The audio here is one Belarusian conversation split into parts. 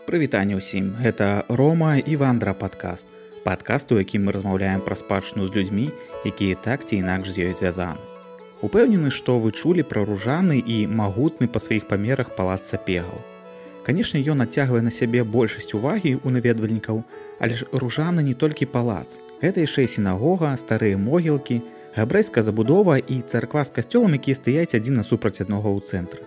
Прывітанне ўсім, гэта Рома і Вандра падкаст. Падкаст, у якім мы размаўляем пра спадчыну з людзьмі, якія так ці інакш з ёй звязаны. Упэўнены, што вы чулі пра ружаны і магутны па сваіх памерах палац Сапегаў. Канешне, ён адцягвае на сябе большасць увагі ў наведвальнікаў, але ж ружаны не толькі палац. Гэта яшчэ і сінагога, старыя могілкі, габрэйская забудова і царква з касцёлам, якія стаяць адзін насупраць аднаго ў цэнтры.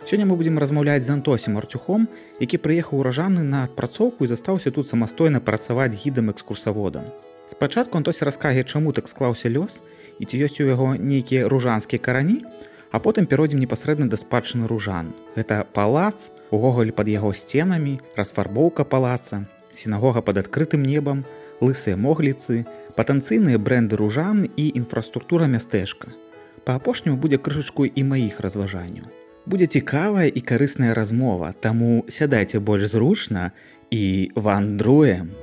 Сёння мы будзем размаўляць з Антосем Артюхом, які прыехаў у Ражаны на адпрацоўку і застаўся тут самастойна працаваць гідам-экскурсаводам. Спачатку Антось раскаже, чаму так склаўся лёс і ці ёсць у яго нейкія ружанскія карані, а потым перайдзем непасрэдна да спадчыны ружан. Гэта палац, увогуле пад яго сценамі, расфарбоўка палаца, сінагога пад адкрытым небам, лысыя могліцы, патэнцыйныя брэнды ружан і інфраструктура мястэчка. Па апошняму будзе крышачку і маіх разважанняў. Будзе цікавая і карысная размова, таму сядайце больш зручна і вандруем.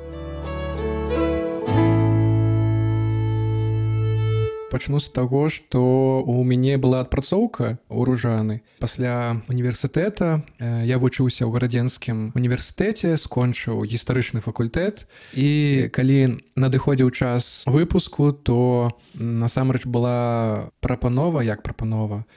Пачну з таго, што ў мяне была адпрацоўка ў Ружаны. Пасля універсітэта я вучыўся ў гарадзенскім універсітэце, скончыў гістарычны факультэт. І калі надыходзіў час выпуску, то насамрэч была прапанова.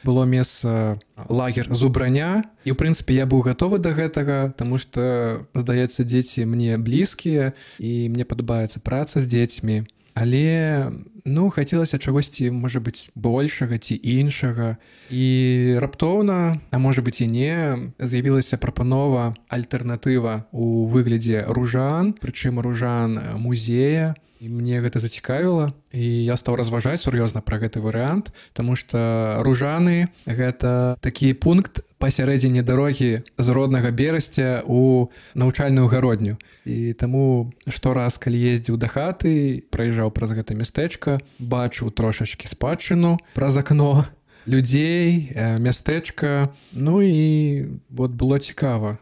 Было месца лагер зубраня. І, ў прынцыпе, я быў гатовы да гэтага, таму што, здаецца, дзеці мне блізкія, і мне падабаецца праца з дзецьмі. Але, хацелася чагосьці, можа быць, большага ці іншага. І раптоўна, а можа быць і не, з'явілася прапанова, альтэрнатыва ў выглядзе ружан, прычым ружан музея. І мне гэта зацікавіла, і я стаў разважаць сур'ёзна пра гэты варыянт, таму што ружаны — гэта такі пункт пасярэдзіне дарогі з роднага Берасця ў навучальную гародню. І таму штораз, калі ездзіў да хаты, праязджаў праз гэта мястэчка, бачыў трошачкі спадчыну праз акно, людзей, мястэчка. І было цікава,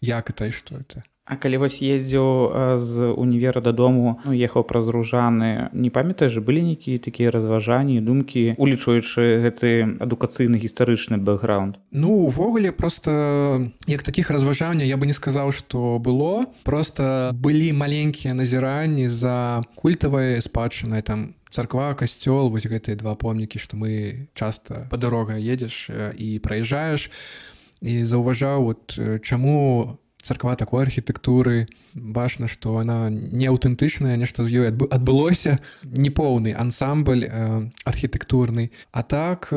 як гэта і што гэта. А калі вось ездзіў з універа дадому, ехаў праз ружаны, не памятаеш, былі нейкія такія разважанні, думкі, улічваючы гэты адукацыйны гістарычны бэкграунд? Увогуле, проста як такіх разважанняў я бы не сказаў, што было. Проста былі маленькія назіранні за культавай спадчынай, там царква, касцёл, вось гэтыя два помнікі, што мы часта па дарогах едзеш і праязджаеш. І заўважаў, чаму царква такой архітэктуры, бачна, што яна не аўтэнтычная, нешта з ёй адбылося, непоўны ансамбль архітэктурны. А так,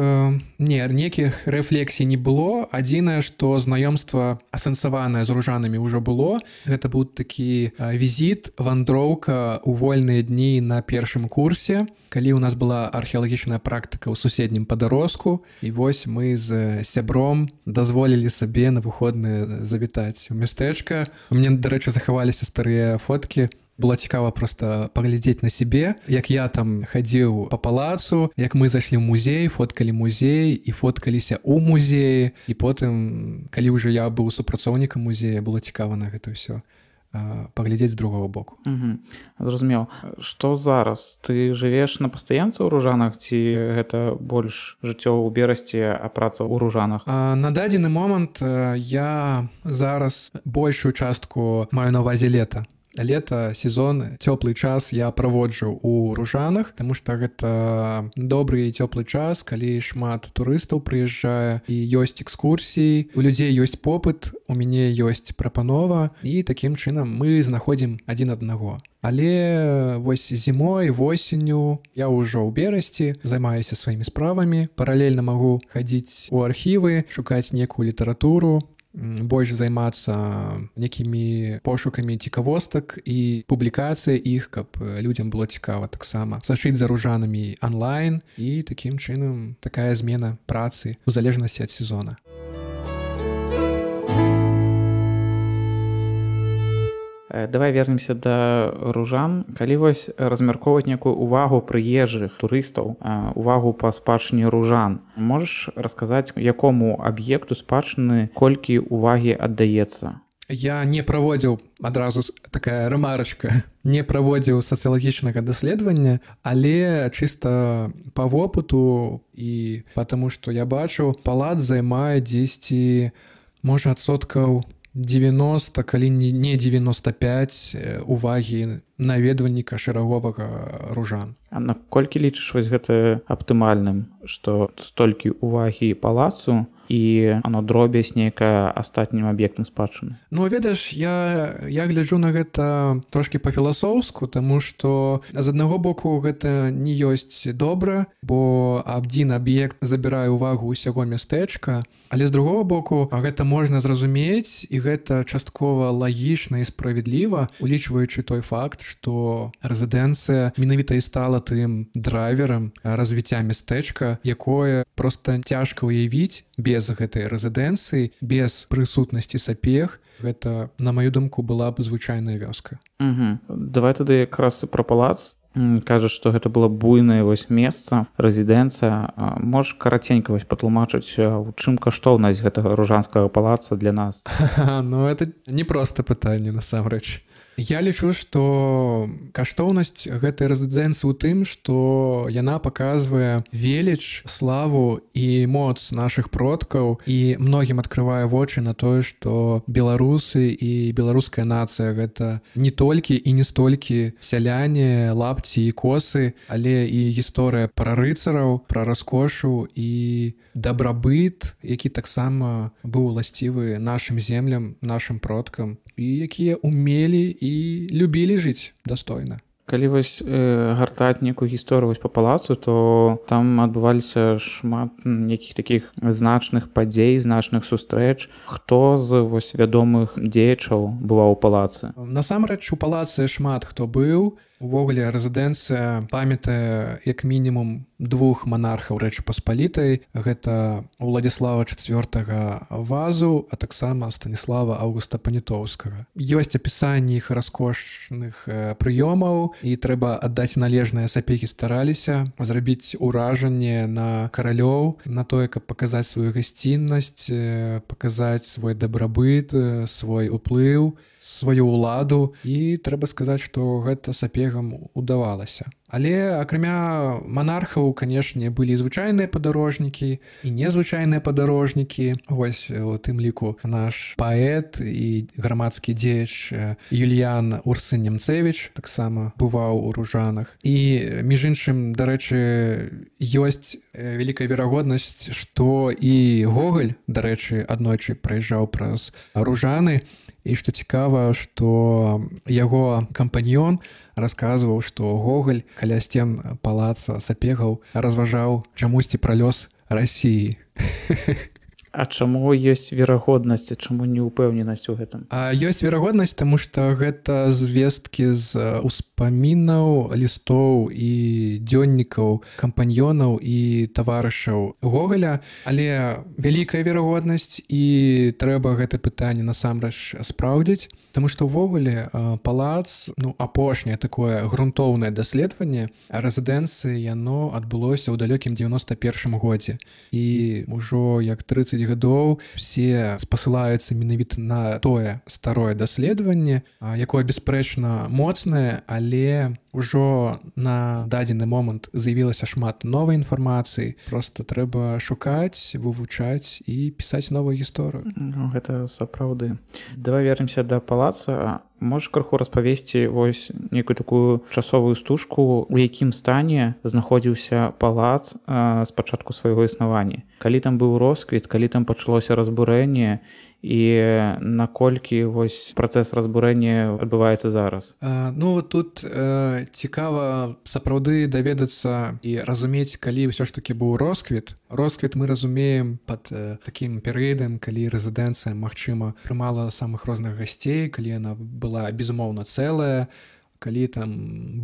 нейкіх рэфлексій не было. Адзінае, што знаёмства асэнсаванае з ружанамі ўжо было. Гэта быў такі візіт, вандроўка ў вольныя дні на першым курсе, калі ў нас была археалагічная практыка ў суседнім Падарожску. І вось мы з сябром дазволілі сабе на выходныя завітаць у мястэчка. У мяне, дарэчы, захаваліся старыя фоткі. Было цікава проста паглядзець на сябе, як я там хадзіў па палацу, як мы зайшлі ў музей, фоткалі музей і фоткаліся ў музеі. І потым, калі ўжо я быў супрацоўнікам музея, было цікава на гэта ўсё паглядзець з другого боку. Зразумеў. Што зараз? Ты жывеш на пастаянцы ў Ружанах ці гэта больш жыццё ў Берасці, а праца ў Ружанах? На дадзены момант я зараз большую частку маю на ўвазе лета. Лета, сезон, цёплы час я праводжу ў Ружанах, таму што гэта добры і цёплы час, калі шмат турыстаў прыязджае і ёсць экскурсіі, у людзей ёсць попыт, у мяне ёсць прапанова, і такім чынам мы знаходзім адзін аднаго. Але вось зімой, восенню я ўжо ў Берасці, займаюся сваімі справамі, паралельна магу хадзіць у архівы, шукаць некую літаратуру, больш займацца некімі пошукамі цікавостак і публікацыяй іх, каб людзям было цікава таксама сачыць за ружанамі онлайн, і такім чынам такая змена працы у залежнасці ад сезона. Давай вернемся да ружан. Калі вось размяркоўваць некую увагу прыезджых турыстаў, увагу па спадчыне ружан, можаш расказаць, якому аб'екту спадчыны колькі увагі аддаецца? Я не праводзіў, адразу такая рамарачка, не праводзіў сацыялагічнага даследавання, але чыста па вопыту і потому, што я бачу, палац займае дзесьці, можа, адсоткаў 90, калі не 95 увагі наведвальніка шэраговага ружан. А наколькі лічыш вось гэта аптымальным, што столькі увагі палацу і оно дробязь нейкая астатнім аб'ектам спадчыны? Ну, ведаеш, я гляджу на гэта трошкі па-філасофску, таму што з аднаго боку гэта не ёсць добра, бо адзін аб'ект забірае ўвагу ўсяго мястэчка, але з другого боку гэта можна зразумець, і гэта часткова лагічна і справядліва, улічваючы той факт, што рэзідэнцыя менавіта і стала тым драйверам развіцця мястэчка, якое проста цяжка ўявіць без гэтай рэзідэнцыі, без прысутнасці сапег. Гэта, на маю думку, была б звычайная вёска. Давай тады якраз пра палац. Кажаш, што гэта было буйнае вось месца, рэзідэнцыя. Можаш караценька вось патлумачыць, у чым каштоўнасць гэтага ружанскага палаца для нас? Ну, это не проста пытанне, насамрэч. Я лічу, што каштоўнасць гэтай рэзідэнцыі ў тым, што яна паказвае веліч, славу і моц нашых продкаў, і многім адкрывае вочы на тое, што беларусы і беларуская нацыя гэта не толькі і не столькі сяляне, лапці і косы, але і гісторыя пра рыцараў, пра раскошу і дабрабыт, які таксама быў уласцівы нашым землям, нашым продкам, і якія умелі і любілі жыць дастойна. Калі вось гартаць некую гісторыю па палацу, то там адбываліся шмат нейкіх такіх значных падзей, значных сустрэч. Хто з вось вядомых дзеячаў бываў у палацы? Насамрэч, у палацы шмат хто быў. Увогуле, рэзідэнцыя памятае як мінімум двух манархаў Рэчы Паспалітай. Гэта Уладзіслава IV Вазу, а таксама Станіслава Аўгуста Панятоўскага. Ёсць апісанні іх раскошных прыёмаў, і трэба аддаць належнае, сапегі стараліся зрабіць уражанне на каралёў, на тое, каб паказаць сваю гасціннасць, паказаць свой дабрабыт, свой уплыў, сваю ўладу, і трэба сказаць, што гэта сапегам удавалася. Але акрамя манархаў, канешне, былі звычайныя падарожнікі і незвычайныя падарожнікі. Вось у тым ліку наш паэт і грамадскі дзеяч Юліян Урсын Нямцевіч таксама бываў у ружанах. І, між іншым, дарэчы, ёсць вялікая верагоднасць, што і Гоголь, дарэчы, аднойчы праязджаў праз ружаны. І што цікава, што яго кампаньён расказваў, што Гоголь каля сцен палаца сапегаў разважаў чамусьці пра лёс Расіі. А чаму ёсць верагоднасць, чаму не ўпэўненасць у гэтым? Ёсць верагоднасць, таму што гэта звесткі з успамінаў, лістоў і дзённікаў кампаньёнаў і таварышаў Гоголя, але вялікая верагоднасць, і трэба гэта пытанне насамрэч спраўдзіць, таму што ўвогуле палац, апошняе такое грунтоўнае даследаванне рэзідэнцыі, яно адбылося ў далёкім 91 годзе. І ўжо як 30 гадоў все спасылаюцца менавіта на тое старое даследаванне, якое бясспрэчна моцнае, але ўжо на дадзены момант з'явілася шмат новай інфармацыі. Проста трэба шукаць, вывучаць і пісаць новую гісторыю. Гэта сапраўды. Давай вернемся да палаца. Можаш крыху распавесці вось некую такую часовую стужку, у якім стане знаходзіўся палац з пачатку свайго існавання? Калі там быў росквіт, калі там пачалося разбурэнне, і наколькі вось працэс разбурэння адбываецца зараз? Тут цікава сапраўды даведацца і разумець, калі ўсё ж такі быў росквіт. Росквіт мы разумеем пад такім перыядам, калі рэзідэнцыя, магчыма, прымала самых розных гасцей, калі яна была безумоўна цэлая, калі там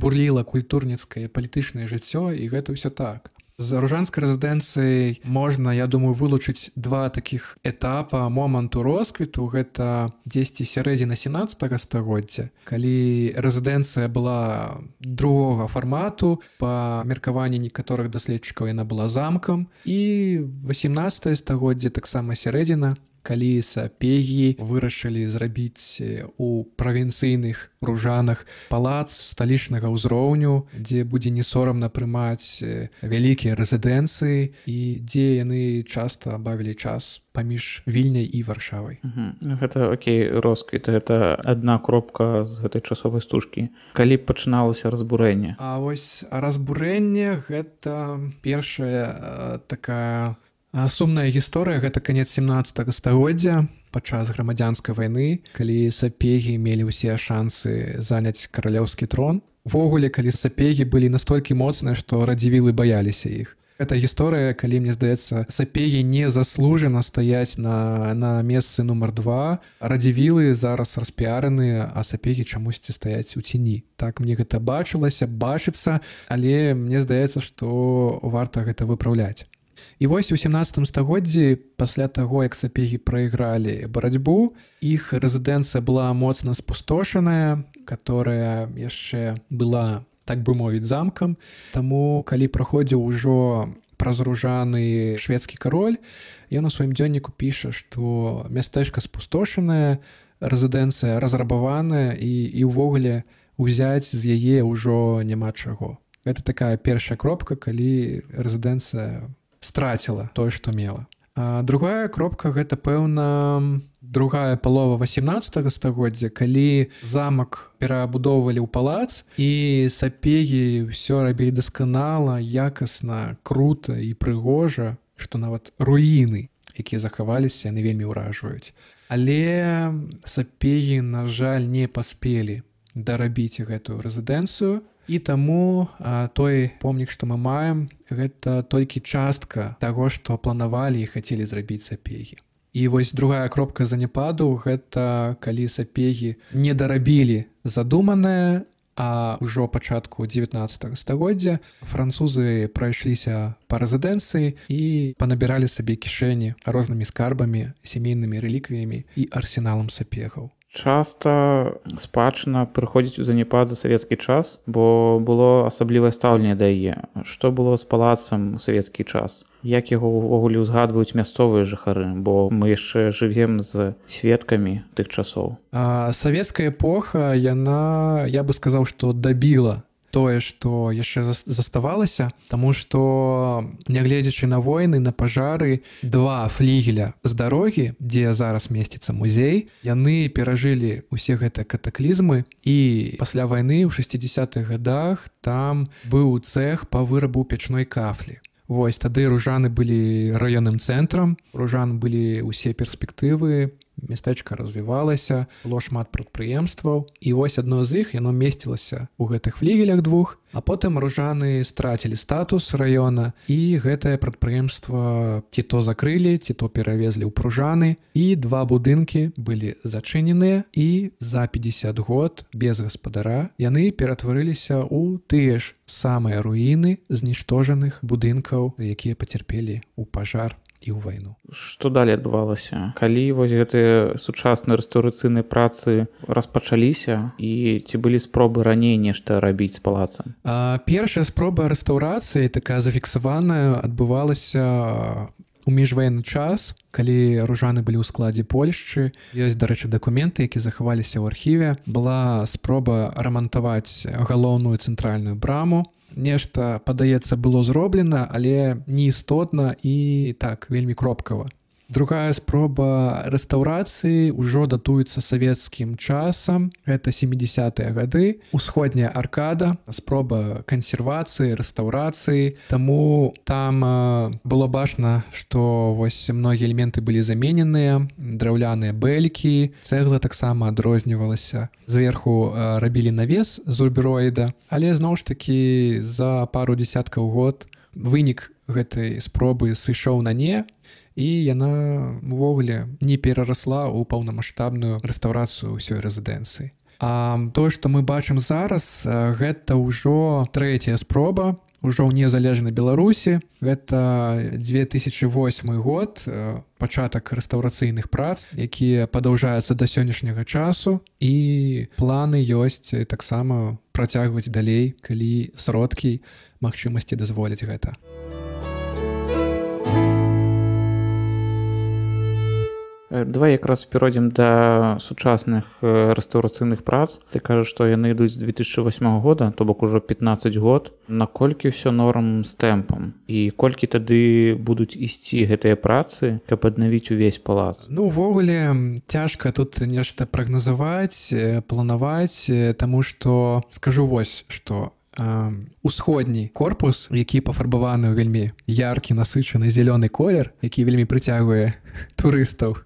бурліла культурніцкае палітычнае жыццё, і гэта ўсё так. З ружанскай рэзідэнцыяй можна, я думаю, вылучыць два такіх этапа моманту росквіту. Гэта дзесьці сярэдзіна 17 стагоддзя, калі рэзідэнцыя была другога фармату, па меркаванні некаторых даследчыкаў яна была замкам, і 18 стагоддзе, таксама сярэдзіна, калі сапегі вырашылі зрабіць у правінцыйных ружанах палац сталічнага ўзроўню, дзе будзе не сорамна прымаць вялікія рэзідэнцыі і дзе яны часта бавілі час паміж Вільняй і Варшавай. Гэта окей, росквіт, гэта адна кропка з гэтай часовай стужкі. Калі пачыналася разбурэнне? А вось разбурэнне гэта першая такая сумная гісторыя, гэта канец 17 стагоддзя, падчас грамадзянскай вайны, калі сапегі мелі ўсе шансы заняць каралеўскі трон. Увогуле, калі сапегі былі настолькі моцныя, што радзівілы баяліся іх. Гэта гісторыя, калі, мне здаецца, сапегі не заслужана стаяць на месцы нумар 2, радзівілы зараз распіараныя, а сапегі чамусьці стаяць у ціні. Так мне гэта бачыцца, але мне здаецца, што варта гэта выпраўляць. І вось у 17 стагоддзі, пасля таго, як сапегі прайгралі барацьбу, іх рэзідэнцыя была моцна спустошаная, которая яшчэ была, так бы мовіць, замкам. Таму, калі праходзіў ужо празружаны шведскі кароль, ён у сваім дзённіку піша, што мястэчка спустошанае, рэзідэнцыя разрабаваная і ўвогуле ўзяць з яе ўжо няма чаго. Гэта такая першая кропка, калі рэзідэнцыя страціла тое, што мела. А другая кропка — гэта, пэўна, другая палова 18 стагоддзя, калі замак перабудоўвалі ў палац, і сапегі ўсё рабілі дасканала, якасна, крута і прыгожа, што нават руіны, якія захаваліся, яны вельмі ўражваюць. Але сапегі, на жаль, не паспелі дарабіць гэтую рэзідэнцыю, і таму той помнік, што мы маем, гэта толькі частка таго, што планавалі і хацелі зрабіць сапегі. І вось другая кропка заняпаду — гэта калі сапегі не дарабілі задуманае, а ўжо пачатку 19 стагоддзя французы прайшліся па рэзідэнцыі і панабіралі сабе кішэні рознымі скарбамі, сямейнымі рэліквіямі і арсеналам сапегаў. Часта спадчына прыходзіць у заняпад за савецкі час, бо было асаблівае стаўленне да яе. Што было з палацам у савецкі час? Як яго ўвогуле ўзгадваюць мясцовыя жыхары, бо мы яшчэ жывем з сведкамі тых часоў. Савецкая эпоха, яна, я бы сказаў, што дабіла тое, што яшчэ заставалася, таму што, нягледзячы на войны, на пажары, 2 флігеля з дарогі, дзе зараз месціцца музей, яны перажылі ўсе гэтыя катаклізмы, і пасля вайны ў 60-х гадах там быў цэх па вырабу печной кафлі. Вось тады ружаны былі раённым цэнтрам, ружан былі ўсе перспектывы, мястэчка развівалася, было шмат прадпрыемстваў, і вось адно з іх, яно месцілася ў гэтых флігелях 2, а потым ружаны страцілі статус раёна, і гэтае прадпрыемства ці то закрылі, ці то перавезлі ў пружаны, і 2 будынкі былі зачыненыя, і за 50 год без гаспадара яны ператварыліся ў тыя ж самыя руіны зніштожаных будынкаў, якія пацярпелі ў пажар і ў вайну. Што далей адбывалася? Калі вось гэтыя сучасныя рэстаўрацыйныя працы распачаліся, і ці былі спробы раней нешта рабіць з палацам? Першая спроба рэстаўрацыі, такая зафіксаваная, адбывалася у міжваенны час, калі ружаны былі ў складзе Польшчы. Ёсць, дарэчы, дакументы, якія захаваліся ў архіве. Была спроба рамантаваць галоўную цэнтральную браму. Нешта, падаецца, было зроблена, але неістотна і так, вельмі кропкава. Другая спроба рэстаўрацыі ўжо датуецца савецкім часам. Гэта 70-е гады. Усходняя аркада, спроба кансервацыі, рэстаўрацыі. Таму там было бачна, што вось многія элементы былі замененыя, драўляныя бэлькі, цэгла таксама адрознівалася. Зверху рабілі навес з рубероіда, але зноў ж такі за пару дзесяткаў год вынік гэтай спробы сышоў на не, і яна ўвогуле не перарасла ў паўнамаштабную рэстаўрацыю ўсёй рэзідэнцыі. А тое, што мы бачым зараз, гэта ўжо трэцяя спроба, ўжо ў незалежнай Беларусі. Гэта 2008 год, пачатак рэстаўрацыйных прац, якія падаўжаюцца да сённяшняга часу, і планы ёсць таксама працягваць далей, калі сродкі, магчымасці дазволяць гэта. Давай якраз перайдзем да сучасных рэстаўрацыйных прац. Ты кажаш, што яны ідуць з 2008 года, то бок ужо 15 год. Наколькі ўсё норм з тэмпам? І колькі тады будуць ісці гэтыя працы, каб аднавіць увесь палац? Ну, увогуле, цяжка тут нешта прагназаваць, планаваць, таму што скажу вось, што усходні корпус, які пафарбаваны ў вельмі яркі, насычаны зялёны колер, які вельмі прыцягвае турыстаў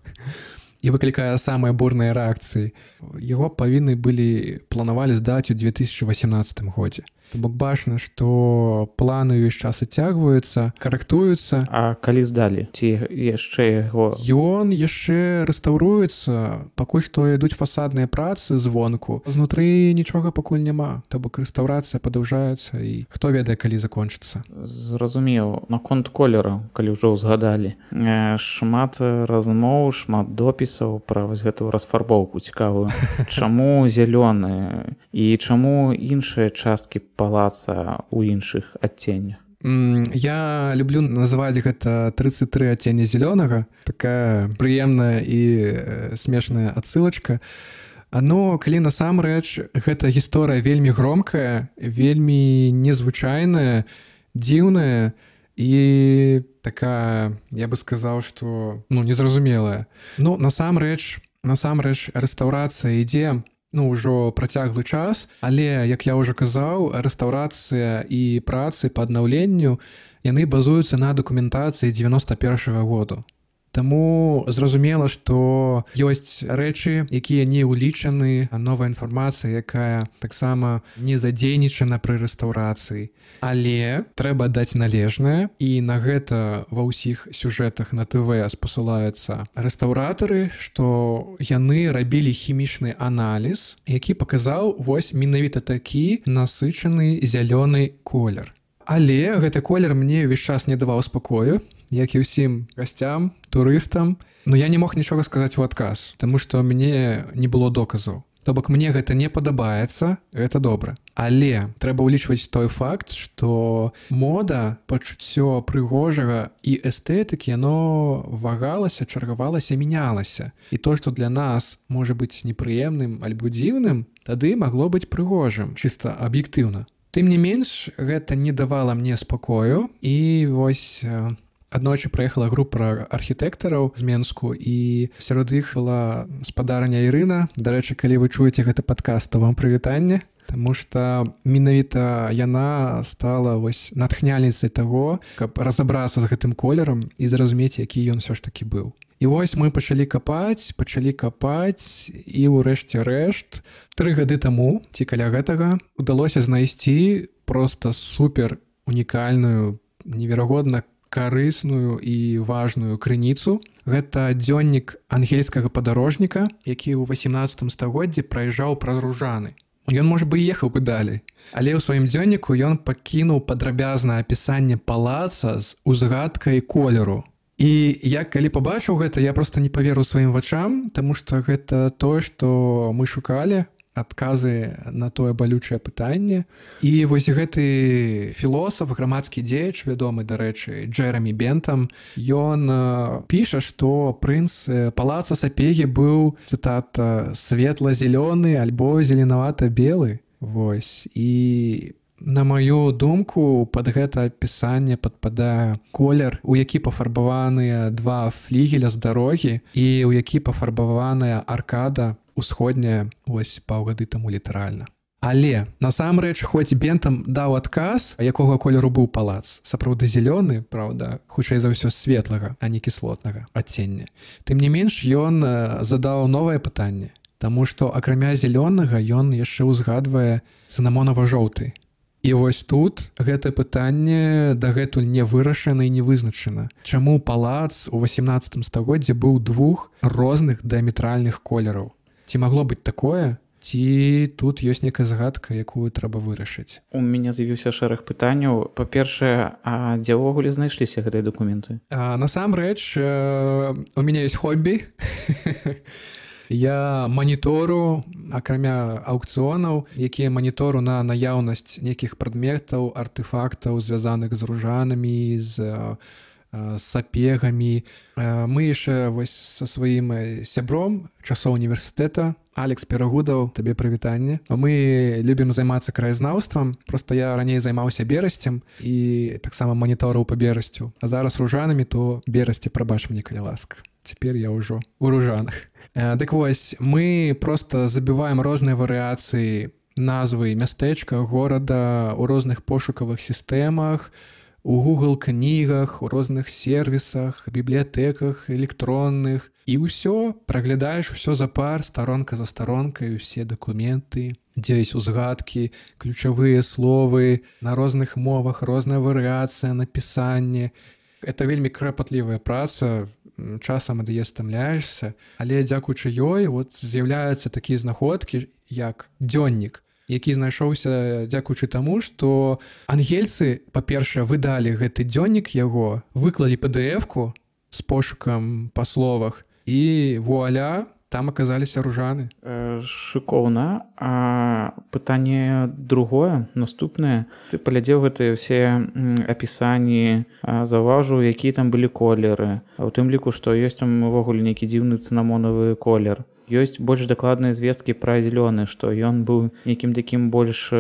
і выклікае самыя бурныя рэакцыі, яго павінны планавалі здаць у 2018 годзе. То бок бачна, што планы ўвесь час адцягваюцца, карэктуюцца. А калі здалі? Ці яшчэ яго? Ён яшчэ рэстаўруецца, пакуль што ідуць фасадныя працы звонку. Знутры нічога пакуль няма. То бок рэстаўрацыя падаўжаецца і хто ведае, калі закончыцца. Зразумеў. Наконт колеру, калі ўжо ўзгадалі. Шмат размоў, шмат допісаў пра вось гэтую расфарбоўку цікавую. Чаму зялёны? І чаму іншыя часткі палаца ў іншых адценнях? Я люблю называць гэта 33 адцення зялёнага. Такая прыемная і смешная адсылачка. Но калі насамрэч гэта гісторыя вельмі громкая, вельмі незвычайная, дзіўная і такая, я бы сказаў, што незразумелая. Насамрэч рэстаўрацыя ідзе ўжо працяглы час, але, як я ўжо казаў, рэстаўрацыя і працы па аднаўленню, яны базуюцца на дакументацыі 91-го году. Таму зразумела, што ёсць рэчы, якія не ўлічаны, новая інфармацыя, якая таксама не задзейнічана пры рэстаўрацыі. Але трэба даць належнае, і на гэта ва ўсіх сюжэтах на ТВ спасылаюцца рэстаўратары, што яны рабілі хімічны аналіз, які паказаў вось менавіта такі насычаны зялёны колер. Але гэты колер мне ўвесь час не даваў спакою, як і ўсім гасцям, турыстам. Я не мог нічога сказаць у адказ, таму што мне не было доказаў. То бок мне гэта не падабаецца, гэта добра. Але трэба ўлічваць той факт, што мода, пачуццё прыгожага і эстэтыкі, яно вагалася, чаргавалася, мянялася. І то, што для нас можа быць непрыемным альбо дзіўным, тады магло быць прыгожым, чыста аб'ектыўна. Тым не менш, гэта не давала мне спакою, і вось аднойчы прыехала група архітэктараў з Менску, і сярод іх была спадарня Ірына. Дарэчы, калі вы чуеце гэты падкаст, то вам прывітанне, таму што менавіта яна стала вось натхняльніцай таго, каб разабрацца з гэтым колерам і зразумець, які ён усё ж такі быў. І вось мы пачалі капаць, і ўрэшце рэшт 3 гады таму, ці каля гэтага, удалося знайсці проста супер унікальную, неверагодна карысную і важную крыніцу. Гэта дзённік ангельскага падарожніка, які ў 18 стагоддзі праязджаў праз Ружаны. Ён, можа бы, ехаў бы далей. Але ў сваім дзённіку ён пакінуў падрабязнае апісанне палаца з узгадкай колеру. І я, калі пабачыў гэта, я проста не паверыў сваім вачам, таму што гэта тое, што мы шукалі, адказы на тое балючае пытанне. І вось гэты філосаф, грамадскі дзеяч, вядомы, дарэчы, Джэрамі Бентам, ён піша, што прынц палаца Сапегі быў, цытата, светла-зелёны альбо зеленавата-белы. Вось. І на маю думку, пад гэта апісанне падпадае колер, у які пафарбаваныя 2 флігеля з дарогі і ў які пафарбаваная аркада усходняя вось паўгады таму літаральна. Але насамрэч, хоць Бентам даў адказ, якога колеру быў палац, сапраўды зялёны, праўда, хутчэй за ўсё светлага, а не кіслотнага адцення. Тым не менш, ён задаў новае пытанне, таму што акрамя зялёнага ён яшчэ ўзгадвае цынамонава-жоўты. І вось тут гэта пытанне дагэтуль не вырашана і не вызначана. Чаму палац у 18 стагоддзі быў 2 розных дыаметральных колераў? Ці магло быць такое? Ці тут ёсць нейкая загадка, якую трэба вырашыць? У мяне з'явіўся шэраг пытанняў. Па-першае, а дзе ўвогуле знайшліся гэтыя дакументы? Насамрэч, у мяне ёсць хобі. Я манітору, акрамя аўкцыёнаў, якія манітору на наяўнасць нейкіх прадметаў, артэфактаў, звязаных з Ружанамі, з з сапегамі. Мы яшчэ вось са сваім сябром часоў універсітэта, Алекс Перагудаў, табе прывітанне. Мы любім займацца краязнаўствам, проста я раней займаўся берасцем і таксама маніторыў па берасцю. А зараз ружанамі, то берасці, прабач мне, калі ласка. Цяпер я ўжо ў ружанах. Дык вось, мы проста забіваем розныя варыяцыі назвы мястэчка, горада ў розных пошукавых сістэмах, у Google кнігах, у розных сервісах, бібліятэках электронных. І ўсё, праглядаеш усё запар, старонка за старонкай, усе дакументы, дзе ёсць узгадкі, ключавыя словы, на розных мовах, розная варыяцыя, напісанне. Это вельмі кропатлівая праца, часам адае стамляешся, але дзякуючы ёй вот з'яўляюцца такія знаходкі, як дзённік, які знайшоўся дзякуючы таму, што ангельцы, па-першае, выдалі гэты дзённік яго, выклалі PDF-ку з пошукам па словах, і вуаля, там аказаліся ружаны. Шыкоўна. А пытанне другое, наступнае. Ты паглядзеў гэтыя ўсе апісанні, заўважыў, якія там былі колеры. У тым ліку, што ёсць там увогуле нейкі дзіўны цынамонавы колер. Ёсць больш дакладныя звесткі пра зялёны, што ён быў нейкім такім больш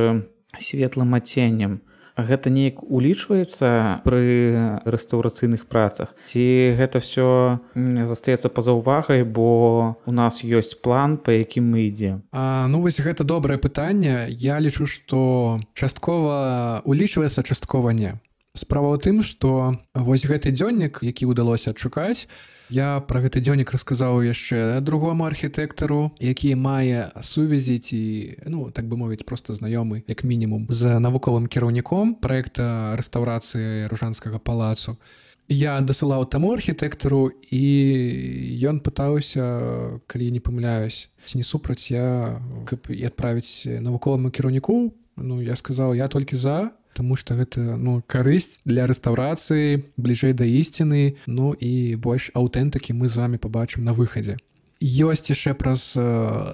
светлым адценнем. Гэта неяк улічваецца пры рэстаўрацыйных працах? Ці гэта ўсё застаецца па-за ўвагай, бо у нас ёсць план, па якім мы ідзем? Ну вось гэта добрае пытанне. Я лічу, што часткова улічваецца, часткова не. Справа ў тым, што вось гэты дзённік, які ўдалося адшукаць, я пра гэты дзённік расказаў яшчэ другому архітэктару, які мае сувязі ці, так бы мовіць, проста знаёмы, як мінімум, з навуковым кіраўніком праекта рэстаўрацыі Ружанскага палацу. Я дасылаў таму архітэктару, і ён пытаўся, калі не памыляюсь, ці не супраць я, каб і адправіць навуковаму кіраўніку. Я сказаў, я толькі за, таму што гэта карысць для рэстаўрацыі, бліжэй да ісціны, і больш аўтэнтыкі мы з вамі пабачым на выхадзе. Ёсць яшчэ праз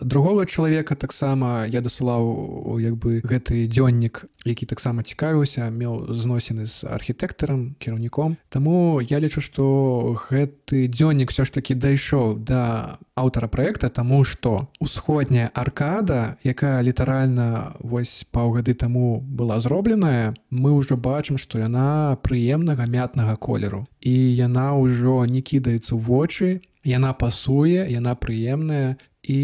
другога чалавека таксама я дасылаў гэты дзённік, які таксама цікавіўся, меў зносіны з архітэктарам, кіраўніком. Таму я лічу, што гэты дзённік ўсё ж такі дайшоў да аўтара праекта, таму што усходняя аркада, якая літаральна вось паўгады таму была зробленая, мы ўжо бачым, што яна прыемнага мятнага колеру. І яна ўжо не кідаецца ў вочы, яна пасуе, яна прыемная, і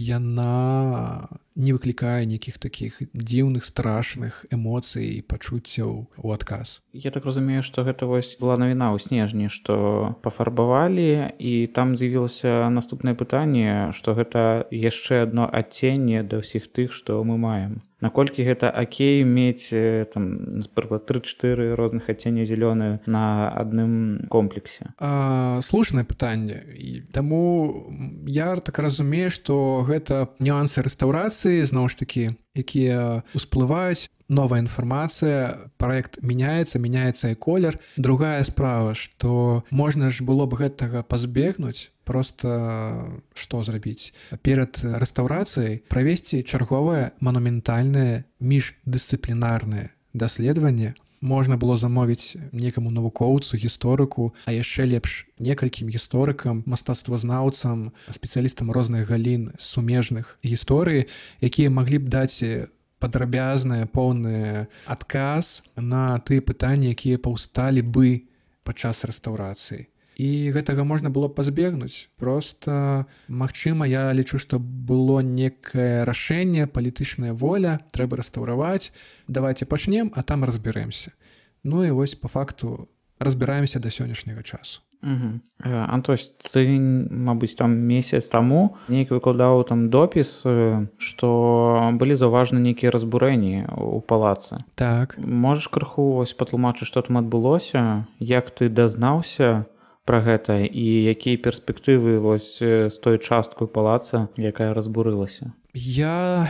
яна не выклікае нейкіх такіх дзіўных, страшных эмоцый і пачуццяў у адказ. Я так разумею, што гэта вось была навіна ў снежні, што пафарбавалі, і там з'явілася наступнае пытанне, што гэта яшчэ адно адценне да ўсіх тых, што мы маем. Наколькі гэта акей мець, напрыклад, 3-4 розных адцення зялёны на адным комплексе? Слушнае пытанне. Таму я так разумею, што гэта нюансы рэстаўрацыі, зноў ж такі, якія ўсплываюць, новая інфармацыя, праект мяняецца і колер. Другая справа, што можна ж было б гэтага пазбегнуць, проста што зрабіць? Перад рэстаўрацыяй правесці чарговае манументальнае міждысцыплінарнае даследаванне. Можна было замовіць некаму навукоўцу, гісторыку, а яшчэ лепш некалькім гісторыкам, мастацтвазнаўцам, спецыялістам розных галін сумежных гісторыі, якія маглі б даць падрабязны, поўны адказ на тыя пытанні, якія паўсталі бы падчас рэстаўрацыі. І гэтага можна было пазбегнуць. Проста, магчыма, я лічу, што было некае рашэнне, палітычная воля, трэба рэстаўраваць, давайце пачнем, а там разбярэмся. І вось па факту разбіраемся да сённяшняга часу. Антось, ты, мабыць, там месяц таму нейкі выкладаў там допіс, што былі заўважаны нейкія разбурэнні ў палацы. Так. Можаш крыху патлумачыць, што там адбылося, як ты дазнаўся пра гэта і якія перспектывы з той часткай палаца, якая разбурылася? Я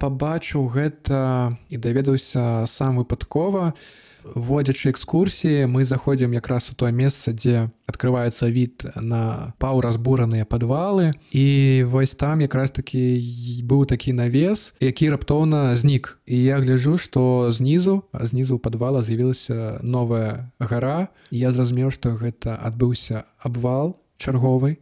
пабачыў гэта і даведаўся сам выпадкова. Вводзячы экскурсіі, мы заходзім якраз у тое месца, дзе открываецца від на паўразбураныя падвалы, і вось там якраз такі быў такі навес, які раптоўна знік. І я гляджу, што знізу падвала з'явілася новая гара. Я зразумеў, што гэта адбыўся абвал чарговы.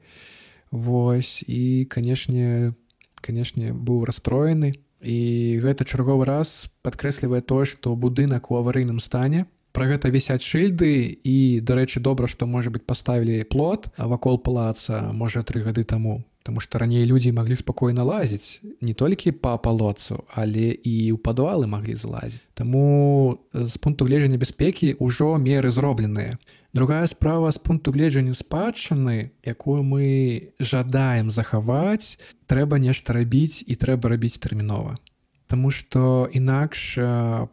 Вось, і, канешне, быў расстроены. І гэта чарговы раз падкрэслівае тое, што будынак у аварыйным стане. Пра гэта вісяць шыльды, і, дарэчы, добра, што, можа быць, паставілі плот вакол палаца, можа, 3 гады таму. Таму што раней людзі маглі спакойна лазіць не толькі па палоцу, але і ў падвалы маглі злазіць. Таму з пункту гледжання бяспекі ўжо меры зробленыя. Другая справа з пункту гледжання спадчыны, якую мы жадаем захаваць, трэба нешта рабіць і трэба рабіць тэрмінова. Таму што інакш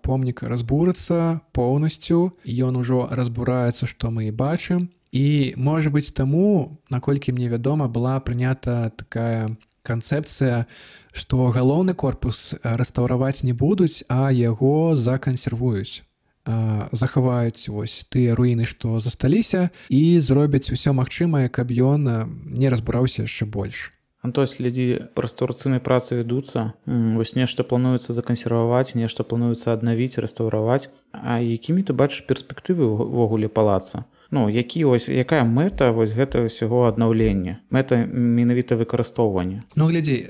помнік разбурыцца поўнасцю, ён ужо разбураецца, што мы і бачым. І, можа быць, таму, наколькі мне вядома, была прынята такая канцэпцыя, што галоўны корпус рэстаўраваць не будуць, а яго закансервуюць. Захаваюць вось тыя руіны, што засталіся, і зробяць усё магчымае, каб ён не разбураўся яшчэ больш. То есть людзі рэстаўрацыйнай працы вядуцца, вось нешта плануецца закансерваваць, нешта плануецца аднавіць, рэстаўраваць. А якімі ты бачыш перспектывы ўвогуле палаца? Якая мэта вось гэта ўсяго аднаўлення? Мэта менавіта выкарыстоўвання? Глядзі,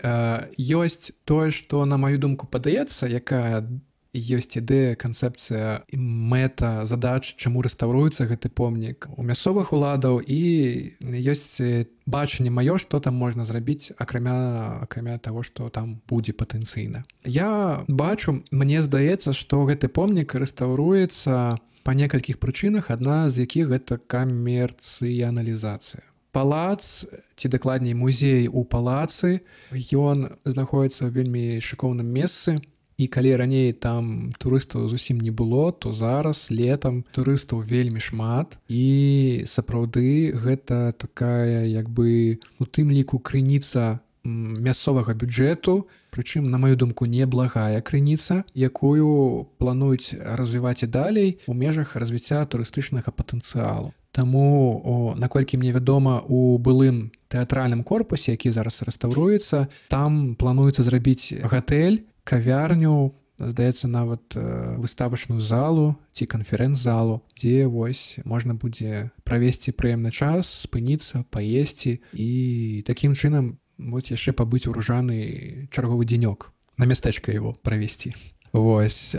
ёсць тое, што, на маю думку, падаецца, якая ёсць ідэя, канцэпцыя, мэта, задач, чаму рэстаўруецца гэты помнік у мясцовых уладаў, і ёсць бачанне маё, што там можна зрабіць, акрамя таго, што там будзе патэнцыйна. Я бачу, мне здаецца, што гэты помнік рэстаўруецца па некалькіх прычынах, адна з якіх гэта камерцыяналізацыя. Палац, ці дакладней музей у палацы, ён знаходіцца ў вельмі шыкоўным месцы. І калі раней там турыстаў зусім не было, то зараз летам турыстаў вельмі шмат. І сапраўды гэта такая, у тым ліку, крыніца мясцовага бюджэту, прычым, на маю думку, неблагая крыніца, якую плануюць развіваць і далей у межах развіцця турыстычнага патэнцыялу. Таму, наколькі мне вядома, у былым тэатральным корпусе, які зараз рэстаўруецца, там плануецца зрабіць гатэль, кавярню, здаецца, нават выставачную залу ці канферэнц-залу, дзе вось можна будзе правесці прыемны час, спыніцца, паесці і такім чынам вось яшчэ пабыць у Ружаны чарговы дзенёк, на мястэчка яго правесці. Вось.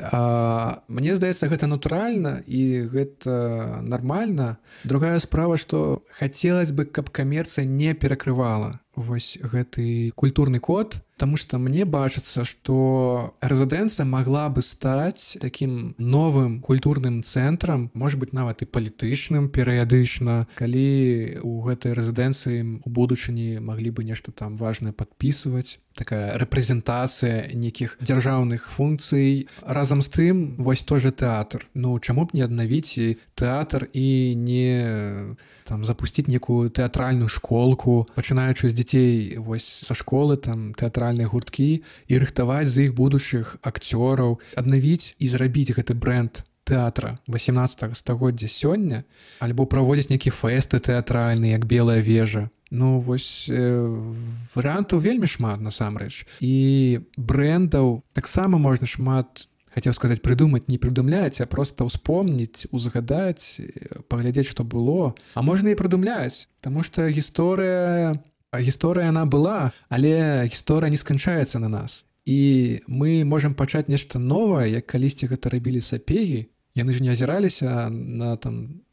Мне здаецца, гэта натуральна і гэта нармальна. Другая справа, што хацелася бы, каб камерцыя не перакрывала вось гэты культурны код, таму што мне бачыцца, што рэзідэнцыя магла бы стаць такім новым культурным цэнтрам, можа быць, нават і палітычным перыядычна, калі у гэтай рэзідэнцыі у будучыні маглі бы нешта там важнае падпісваць, такая рэпрэзентацыя нейкіх дзяржаўных функцый. Разам з тым, вось той жа тэатр. Чаму б не аднавіць тэатр і не запусціць некую тэатральную школку, пачынаючы з дзяцей вось са школы, там тэатральныя гурткі, і рыхтаваць з іх будучых акцёраў, аднавіць і зрабіць гэты брэнд тэатра 18 стагоддзя сёння, альбо праводзіць нейкі фэсты тэатральныя, як Белая вежа. Вось варыянтаў вельмі шмат, насамрэч. І брэндаў таксама можна шмат, хацеў сказаць, прыдумаць, не прыдумляць, а проста ўспомніць, узгадаць, паглядзець, што было. А можна і прыдумляць, таму што гісторыя яна была, але гісторыя не сканчаецца на нас. І мы можам пачаць нешта новае, як калісьці гэта рабілі сапегі. Яны ж не азіраліся на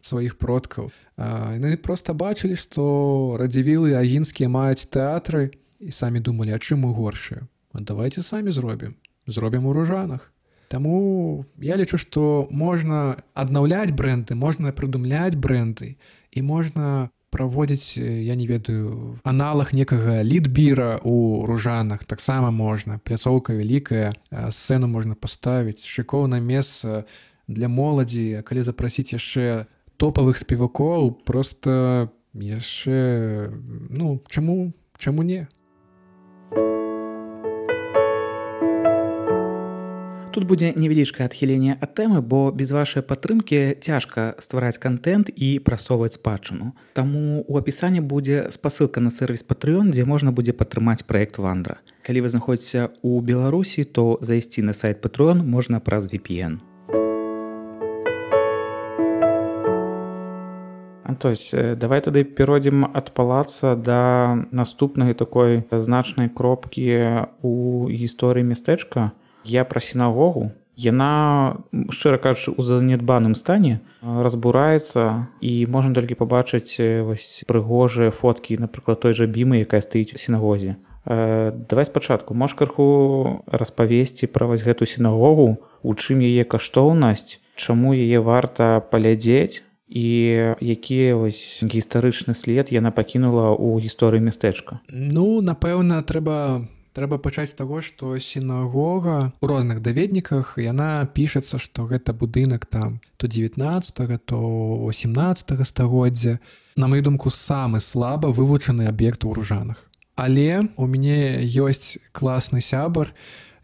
сваіх продкаў. Яны проста бачылі, што радзівілы агінскія маюць тэатры і самі думалі, а чым мы горшыя? Давайце самі зробім у Ружанах. Таму я лічу, што можна аднаўляць брэнды, можна прыдумляць брэнды і можна праводзіць, я не ведаю, аналаг некага літбіра ў Ружанах. Таксама можна. Пляцоўка вялікая, сцэну можна паставіць, шыкоўнае месца для моладзі, калі запрасіць яшчэ топавых спевакоў, проста яшчэ, чаму не? тут будзе невялічкае адхіленне ад тэмы, бо без вашай падтрымкі цяжка ствараць кантэнт і прасоўваць спадчыну. Таму ў апісанні будзе спасылка на сервіс Patreon, дзе можна будзе падтрымаць праект Вандра. Калі вы знаходзіцеся ў Беларусі, то зайсці на сайт Patreon можна праз VPN. Антось, давай тады перайдзем ад палаца да наступнай такой значнай кропкі ў гісторыі мястэчка. Я пра сінагогу. Яна, шчыра кажучы, у занядбаным стане разбураецца, і можна толькі пабачыць вось прыгожыя фоткі, напрыклад, той жа бімы, якая стаіць у сінагозе. Давай спачатку, можаш крыху распавесці пра вось гэту сінагогу, у чым яе каштоўнасць, чаму яе варта паглядзець, і які вось гістарычны след яна пакінула ў гісторыі мястэчка? Ну, напэўна, трэба пачаць з таго, што сінагога ў розных даведніках, яна пішацца, што гэта будынак там то 19-го, то 18-го стагоддзя. На маю думку, самы слаба вывучаны аб'ект у Ружанах. Але у мяне ёсць класны сябар,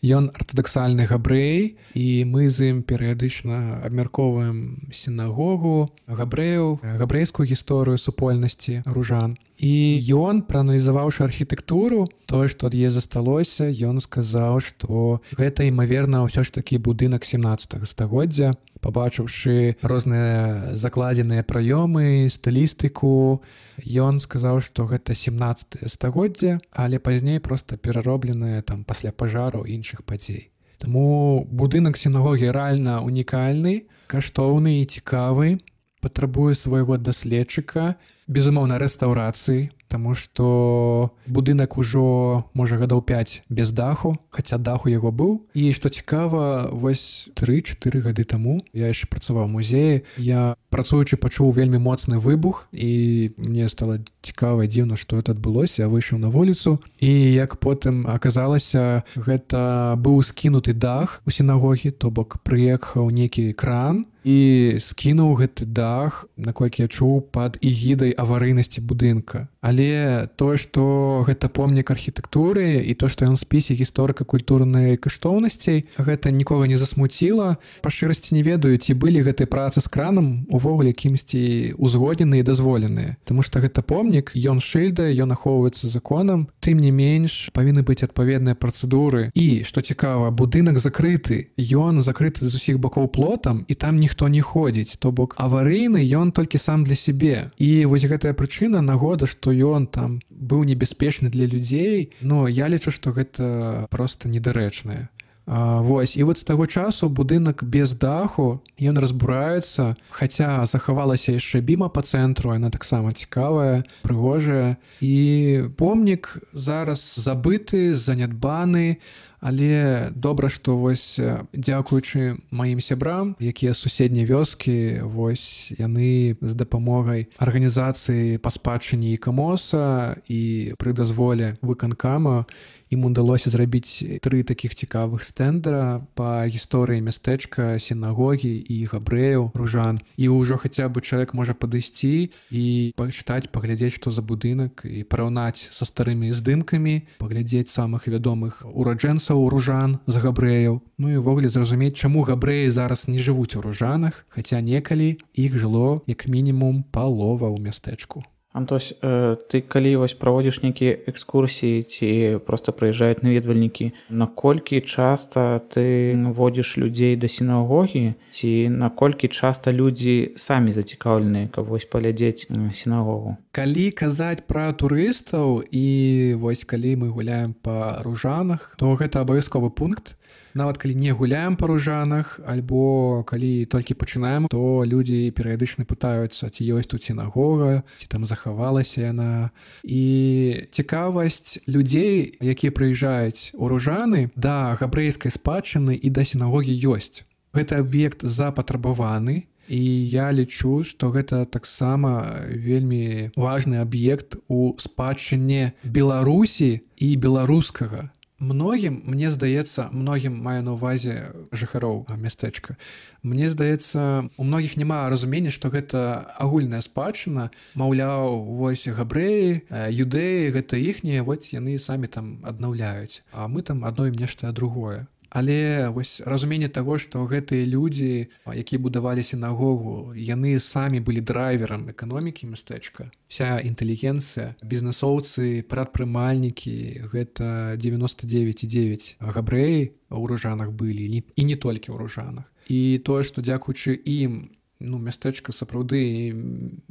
ён артадаксальны габрэй, і мы з ім перыядычна абмяркоўваем сінагогу, габрэйскую гісторыю супольнасці ружан. І ён, прааналізаваўшы архітэктуру, тое, што ад яе засталося, ён сказаў, што гэта, імаверна, ўсё ж такі будынак 17 стагоддзя. Пабачыўшы розныя закладзеныя праёмы, стылістыку, ён сказаў, што гэта 17 стагоддзя, але пазней проста пераробленае там пасля пажару іншых падзей. Таму будынак сінагогі рэальна унікальны, каштоўны і цікавы, патрабуе свайго даследчыка, безумоўна, рэстаўрацыі, таму што будынак ужо, можа, гадоў 5 без даху, хаця дах у яго быў. І што цікава, вось 3-4 гады таму я яшчэ працаваў у музеі, я працуючы пачуў вельмі моцны выбух, і мне стала цікава і дзіўна, што гэта адбылося. Я выйшаў на вуліцу, і як потым аказалася, гэта быў скінуты дах у сінагогі, то бок прыехаў некі кран і скінуў гэты дах, наколькі я чуў, пад эгідай аварыйнасці будынка. Але тое, што гэта помнік архітэктуры, і то, што ён у спісе гісторыка-культурнай каштоўнасцей, гэта нікога не засмуціла. Па шчырасці не ведаю, ці былі гэтыя працы з кранам увогуле кімсьці узгодненыя і дазволеныя. Таму што гэта помнік, ён шыльда, ён ахоўваецца законам. Тым не менш, павінны быць адпаведныя працэдуры. І, што цікава, будынак закрыты. Ён закрыты з усіх бакоў плотам, і там ніхто не ходзіць. То бок аварыйны ён толькі сам для сябе. І вось гэтая прычына, нагода, што ён там быў небяспечны для людзей, но я лічу, што гэта проста недарэчнае. Вось, і вот з таго часу будынак без даху, ён разбураецца, хаця захавалася яшчэ біма па цэнтру, яна таксама цікавая, прыгожая. І помнік зараз забыты, занядбаны, але добра, што вось дзякуючы маім сябрам, якія суседнія вёскі, вось яны з дапамогай арганізацыі па спадчыне ІКМОСа і пры дазволе выканкама ім удалося зрабіць 3 такіх цікавых стэндара па гісторыі мястэчка, сінагогі і габрэяў, ружан. І ўжо хаця бы чалавек можа падысці і пачытаць, паглядзець, што за будынак, і параўнаць са старымі здымкамі, паглядзець самых вядомых ураджэнцаў ружан з габрэяў. Ну і ўвогуле зразумець, чаму габрэі зараз не жывуць у ружанах, хаця некалі іх жыло як мінімум палова ў мястэчку. Антось, ты калі вось праводзіш нейкія экскурсіі ці проста прыязджаюць наведвальнікі, наколькі часта ты водзіш людзей да сінагогі, ці наколькі часта людзі самі зацікаўленыя, каб вось паглядзець сінагогу? Калі казаць пра турыстаў і вось калі мы гуляем па ружанах, то гэта абавязковы пункт. Нават калі не гуляем па ружанах, альбо калі толькі пачынаем, то людзі перыядычна пытаюцца, ці ёсць тут сінагога, ці там захавалася яна. І цікавасць людзей, якія прыязджаюць у ружаны, да габрэйскай спадчыны і да сінагогі ёсць. Гэты аб'ект запатрабаваны, і я лічу, што гэта таксама вельмі важны аб'ект у спадчыне Беларусі і беларускага. Многім, мне здаецца, многім маю на ўвазе жыхароў мястэчка, мне здаецца, у многіх няма разумення, што гэта агульная спадчына, маўляў, вось габрэі, юдэі, гэта іхнія, вось яны самі там аднаўляюць, а мы там адно ім нешта другое. Але вось разуменне таго, што гэтыя людзі, якія будавалі сінагогу, яны самі былі драйверам эканомікі мястэчка. Вся інтэлігенцыя, бізнесоўцы, прадпрымальнікі, гэта 99,9 габрэі ў Ружанах былі, і не толькі ў Ружанах. І тое, што дзякуючы ім мястэчка сапраўды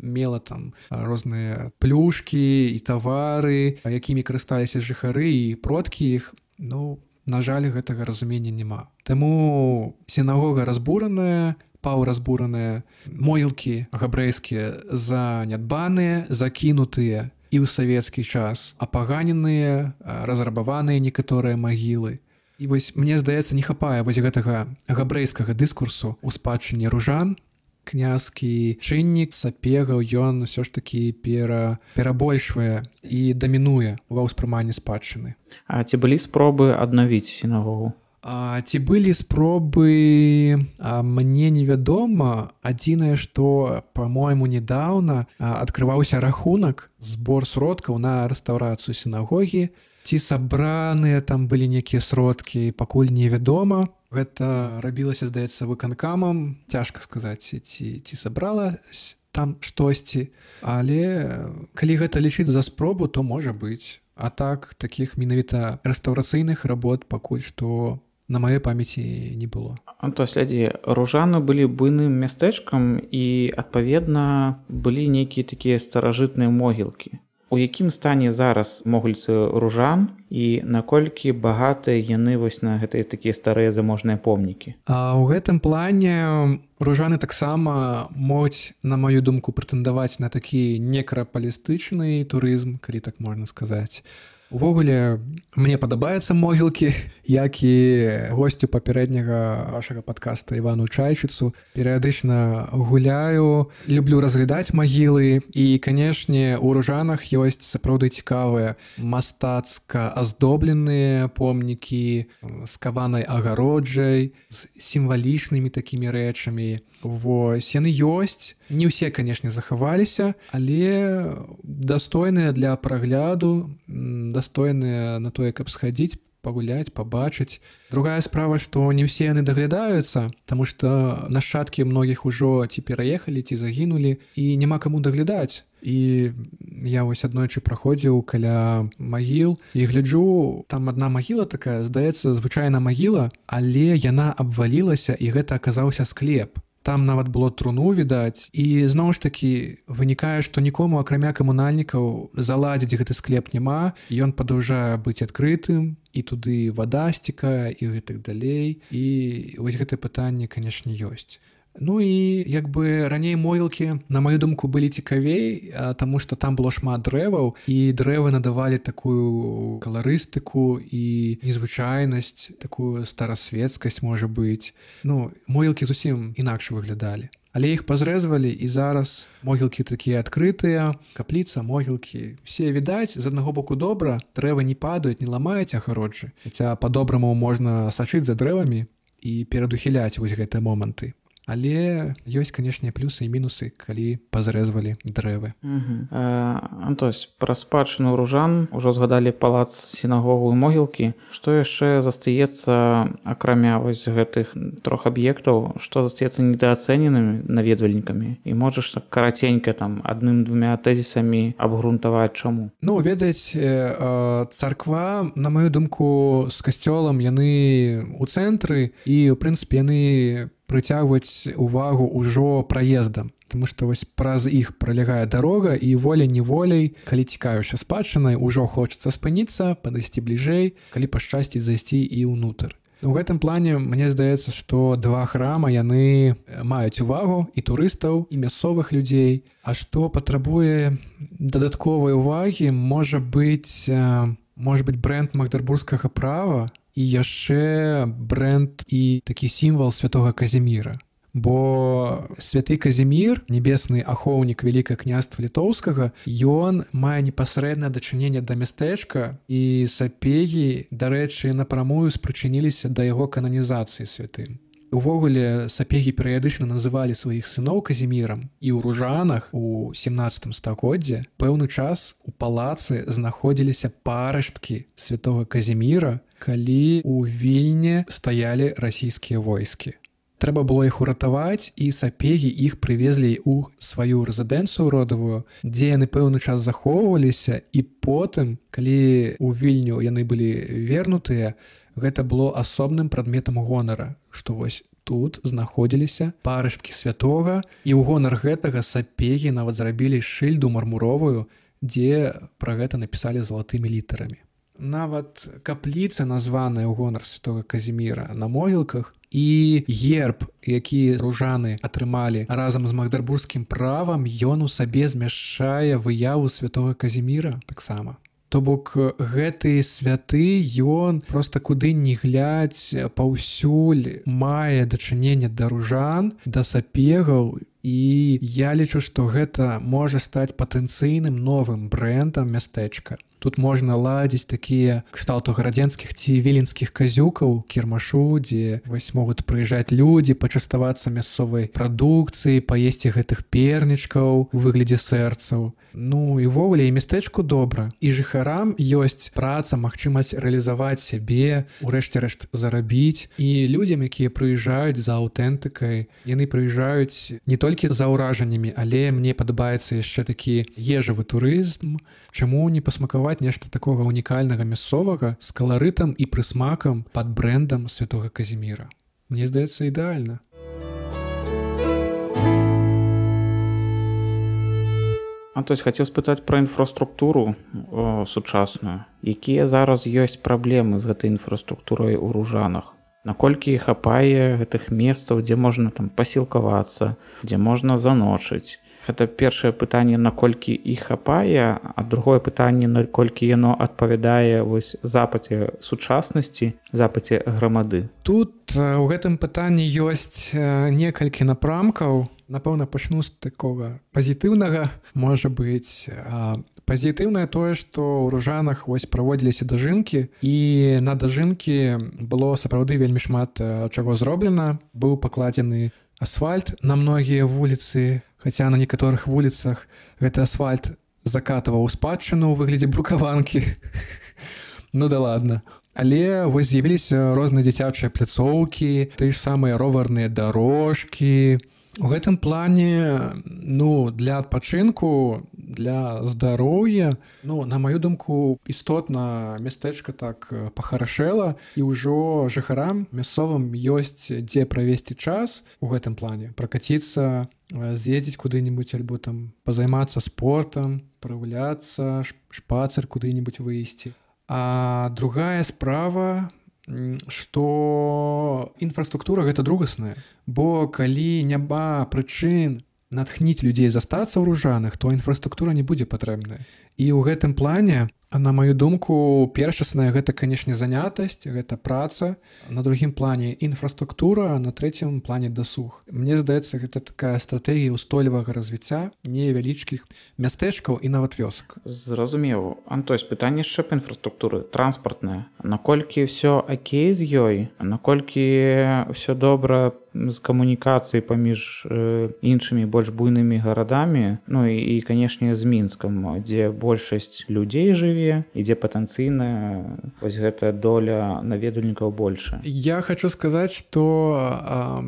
мела там розныя плюшкі і тавары, якімі карысталіся жыхары і продкі іх, на жаль, гэтага разумення няма. Таму сінагога разбураная, паўразбураныя, могілкі габрэйскія занядбаныя, закінутыя і ў савецкі час, апаганеныя, разрабаваныя некаторыя магілы. І вось, мне здаецца, не хапае вось гэтага габрэйскага дыскурсу ў спадчыне ружан. Князькі чыннік Сапегаў, ён усё ж такі перабольшвае і дамінуе ва ўспрыманні спадчыны. А ці былі спробы аднавіць сінагогу? Ці былі спробы, мне невядома. Адзінае, што, па-мойму, недаўна адкрываўся рахунак, збор сродкаў на рэстаўрацыю сінагогі. Ці сабраныя там былі нейкія сродкі, пакуль невядома. Гэта рабілася, здаецца, выканкамам. Цяжка сказаць, ці сабралася там штосьці. Але калі гэта лічыць за спробу, то можа быць. А так, такіх менавіта рэстаўрацыйных работ пакуль што на маёй памяці не было. То глядзі, Ружаны былі буйным мястэчкам і, адпаведна, былі нейкія такія старажытныя могілкі. У якім стане зараз могільцы Ружан і наколькі багатыя яны вось на гэтыя такія старыя заможныя помнікі? У гэтым плане Ружаны таксама могуць, на маю думку, прэтэндаваць на такі некрапалістычны турызм, калі так можна сказаць. Увогуле, мне падабаюцца могілкі, як і госцю папярэдняга вашага падкаста Івану Чайчыцу. Перыядычна гуляю, люблю разглядаць магілы. І, канешне, у Ружанах ёсць сапраўды цікавыя мастацка аздобленыя помнікі з каванай агароджай, з сімвалічнымі такімі рэчамі. Вось, яны ёсць. Не ўсе, канешне, захаваліся, але дастойныя для прагляду, дастойныя на тое, каб схадзіць, пагуляць, пабачыць. Другая справа, што не ўсе яны даглядаюцца, таму што нашчадкі многіх ужо ці пераехалі, ці загінулі, і няма каму даглядаць. І я вось аднойчы праходзіў каля магіл і гляджу, там адна магіла такая, здаецца, звычайна магіла, але яна абвалілася, і гэта аказаўся склеп. Там нават было труну, відаць, і зноў ж такі вынікае, што нікому, акрамя камунальнікаў, заладзіць гэты склеп няма, ён падаўжае быць адкрытым, і туды вада сцікае, і гэтак далей. І вось гэтае пытанне, канешне, ёсць. Ну і як бы раней могілкі, на маю думку, былі цікавей, таму што там было шмат дрэваў, і дрэвы надавалі такую каларыстыку і незвычайнасць, такую старасветскасць, можа быць. Могілкі зусім інакш выглядалі. Але іх пазрэзвалі, і зараз могілкі такія адкрытыя, капліца, могілкі. Все відаць, з аднаго боку добра, дрэвы не падаюць, не ламаюць агароджы. Хаця па-добраму можна сачыць за дрэвамі і перадухіляць вось гэтыя моманты. Але ёсць, канешне, плюсы і мінусы, калі пазрэзвалі дрэвы. Антось, пра спадчыну Ружан ужо згадалі палац, сінагогу і могілкі. Што яшчэ застаецца, акрамя вось гэтых трох аб'ектаў, што застаецца недаацэненымі наведвальнікамі? І можаш так караценька там адным-двумя тэзісамі абгрунтаваць чаму? Ведаць, царква, на маю думку, з касцёлам яны ў цэнтры, і, ў прынцыпе, яны прыцягваць увагу ўжо праездам, таму што вось праз іх пралягае дарога, і волей-неволей, калі цікавішся спадчынай, ужо хочацца спыніцца, падысці бліжэй, калі пашчасціць зайсці і ўнутр. У гэтым плане мне здаецца, што два храма яны маюць увагу і турыстаў, і мясцовых людзей. А што патрабуе дадатковай увагі, можа быць брэнд магдарбургскага права, і яшчэ брэнд і такі сімвал святога Казіміра. Бо святы Казімір, небесны ахоўнік Вялікага княства Літоўскага, ён мае непасрэднае дачыненне да мястэчка, і сапегі, дарэчы, напрамую спрычыніліся да яго кананізацыі святым. Увогуле, сапегі перыядычна называлі сваіх сыноў Казімірам, і ў Ружанах у 17 стагоддзі пэўны час у палацы знаходзіліся парасткі святога Казіміра, калі ў Вільні стаялі расійскія войскі. Трэба было іх уратаваць, і сапегі іх прывезлі ў сваю рэзідэнцыю родавую, дзе яны пэўны час захоўваліся, і потым, калі ў Вільню яны былі вернутыя, гэта было асобным прадметам гонара, што вось тут знаходзіліся парышткі святога, і ў гонар гэтага сапегі нават зрабілі шыльду мармуровую, дзе пра гэта напісалі залатымі літарамі. Нават капліца, названая ў гонар святога Казіміра, на могілках, і герб, які ружаны атрымалі разам з магдарбургскім правам, ён у сабе змяшчае выяву святога Казіміра таксама. То бок гэты святы, ён проста куды ні глядзь, паўсюль мае дачыненне да ружан, да сапегаў, і я лічу, што гэта можа стаць патэнцыйным новым брэндам мястэчка. Тут можна ладзіць такія кшталту гарадзенскіх ці віленскіх казюкаў, кірмашу, дзе вось могуць прыязджаць людзі, пачаставацца мясцовай прадукцыі, паесці гэтых пернічкаў у выглядзе сэрцаў. Ну і ўвогуле і мястэчку добра. І жыхарам ёсць праца, магчымасць рэалізаваць сябе, урэшце рэшт зарабіць. І людзям, якія прыязджаюць за аўтэнтыкай, яны прыязджаюць не толькі за ўражаннямі, але мне падабаецца яшчэ такі ежавы турызм. Чаму не пасмакаваць нешта такога унікальнага мясцовага з каларытам і прысмакам пад брэндам святога Казіміра? Мне здаецца, ідэальна. Антось, хацеў спытаць пра інфраструктуру сучасную. Якія зараз ёсць праблемы з гэтай інфраструктурай у Ружанах? Наколькі хапае гэтых месцаў, дзе можна там пасілкавацца, дзе можна заночыць? Гэта першае пытанне, наколькі іх хапае, а другое пытанне, наколькі яно адпавядае вось запаце сучаснасці, запаце грамады. Тут у гэтым пытанні ёсць некалькі напрамкаў. Напэўна, пачну з такога пазітыўнага, можа быць. Пазітыўнае тое, што ў Ружанах вось праводзіліся дажынкі, і на дажынкі было сапраўды вельмі шмат чаго зроблена. Быў пакладзены асфальт на многія вуліцы, хаця на некаторых вуліцах гэты асфальт закатываў спадчыну ў выглядзе брукаванкі. Ну да ладно. Але вось з'явіліся розныя дзіцячыя пляцоўкі, тыя ж самыя роварныя дарожкі. У гэтым плане, для адпачынку, для здароўя, на маю думку, істотна мястэчка так пахарашэла, і ўжо жыхарам мясцовым ёсць дзе правесці час у гэтым плане, пракаціцца, з'ездзіць куды-небудзь альбо там пазаймацца спортам, прагуляцца, шпацыр куды-небудзь выйсці. А другая справа, што інфраструктура гэта другасная, бо калі няма прычын натхніць людзей застацца ў Ружанах, то інфраструктура не будзе патрэбная. І ў гэтым плане, на маю думку, першасная гэта, канешне, занятасць, гэта праца, на другім плане інфраструктура, на трэцім плане дасуг. Мне здаецца, гэта такая стратэгія ўстойлівага развіцця невялічкіх мястэчкаў і нават вёсак. Зразумеў. Антось, пытанне яшчэ па інфраструктуры транспартная. Наколькі ўсё акей з ёй? Наколькі ўсё добра з камунікацыяй паміж іншымі больш буйнымі гарадамі, і канешне, з Мінскам, дзе большасць людзей жыве, і дзе патэнцыйна вось гэтая доля наведвальнікаў большая. Я хочу сказаць, што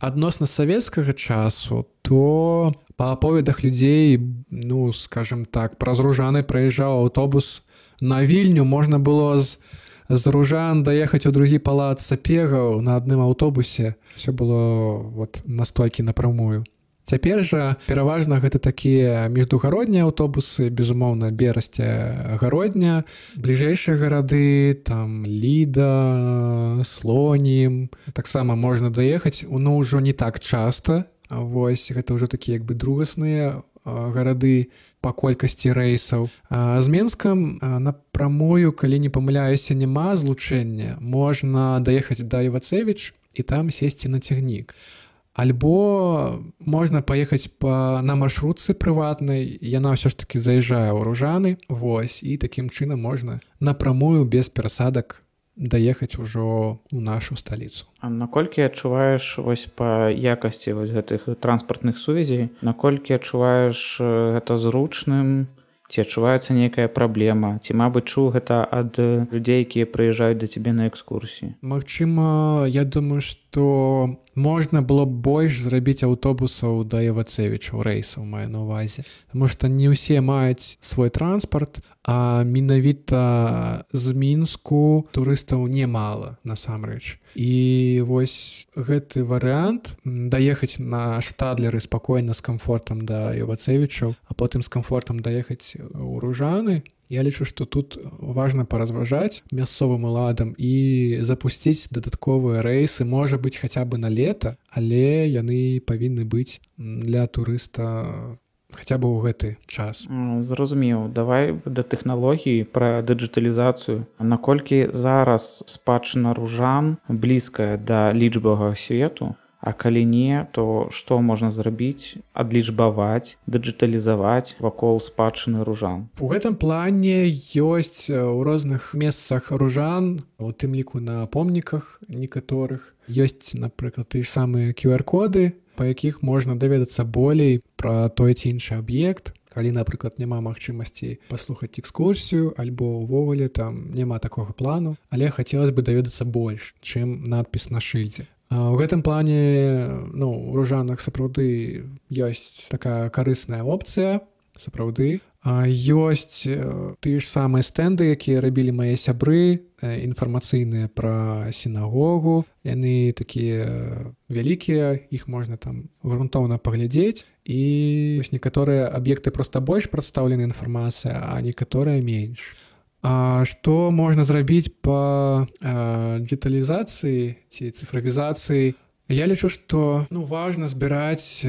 адносна савецкага часу, то па аповедах людзей, скажем так, праз Ружаны праязджаў аўтобус на Вільню, можна было з Ружан даехаць у другі палац сапегаў на адным аўтобусе. Все было настолькі напрамую. Цяпер жа пераважна гэта такія міждугароднія аўтобусы, безумоўна, Берасця, Гародня, бліжэйшыя гарады, там Ліда, Слонім, таксама можна даехаць, ўжо не так часта. Вось гэта ўжо такія другасныя гарады па колькасці рэйсаў. З Менскам напрамую, калі не памыляюся, няма злучэння. Можна даехаць да Івацевіч і там сесці на цягнік. Альбо можна паехаць на маршрутцы прыватнай, яна ўсё ж такі заязджае ў Ружаны, і такім чынам можна напрамую без перасадак даехаць ужо ў нашу сталіцу. А наколькі адчуваеш па якасці гэтых транспартных сувязей, наколькі адчуваеш гэта зручным Ці адчуваецца нейкая праблема? Ці, мабыць, чуў гэта ад людзей, якія прыязджаюць да цябе на экскурсіі? Магчыма, я думаю, што можна было б больш зрабіць аўтобусаў да Івацевічаў, рэйсаў маю на ўвазе. Таму што не ўсе маюць свой транспарт, а менавіта з Мінску турыстаў немала, насамрэч. І вось гэты варыянт даехаць на Штадлеры спакойна з камфортам да Івацевічаў, а потым з камфортам даехаць у Ружаны. Я лічу, што тут важна паразважаць мясцовым уладам і запусціць дадатковыя рэйсы, можа быць, хаця бы на лета, але яны павінны быць для турыста хаця бы ў гэты час. Зразумеў. Давай да тэхналогіі, пра дыджыталізацыю. Наколькі зараз спадчына Ружан блізкая да лічбавага свету? А калі не, то што можна зрабіць, адлічбаваць, дыджыталізаваць вакол спадчыны Ружан? У гэтым плане ёсць у розных месцах Ружан, у тым ліку на помніках некаторых. Ёсць, напрыклад, тыя ж самыя QR-коды, па якіх можна даведацца болей пра той ці іншы аб'ект. Калі, напрыклад, няма магчымасці паслухаць экскурсію, альбо ўвогуле там няма такога плану, але хацелася бы даведацца больш, чым надпіс на шыльдзе. У гэтым плане, у Ружанах сапраўды ёсць такая карысная опцыя, сапраўды. Ёсць тыя ж самыя стэнды, якія рабілі мае сябры, інфармацыйныя пра сінагогу. Яны такія вялікія, іх можна там грунтоўна паглядзець. І вось некаторыя аб'екты проста больш прадстаўлены інфармацыя, а некаторыя менш. А што можна зрабіць па дыджыталізацыі ці цыфравізацыі? Я лічу, што важна збіраць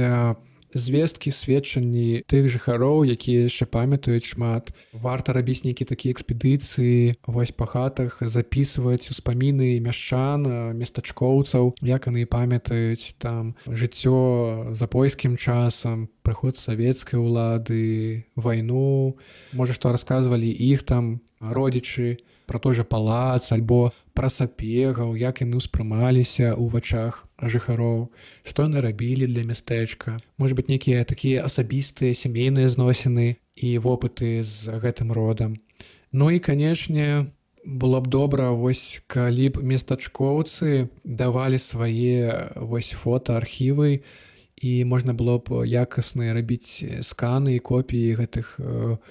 звесткі, сведчанні тых жыхароў, якія яшчэ памятаюць шмат. Варта рабіць нейкія такія экспедыцыі, вось па хатах запісваць успаміны мяшчан, местачкоўцаў, як яны памятаюць там жыццё за польскім часам, прыход савецкай улады, вайну. Можа, што расказвалі іх там родзічы, пра той жа палац, альбо пра сапегаў, як яны ўспрымаліся ў вачах жыхароў, што яны рабілі для мястэчка. Можа быць, нейкія такія асабістыя сямейныя зносіны і вопыты з гэтым родам. І, канечне, было б добра, калі б местачкоўцы давалі свае фотоархівы, і можна было б якасна рабіць сканы і копіі гэтых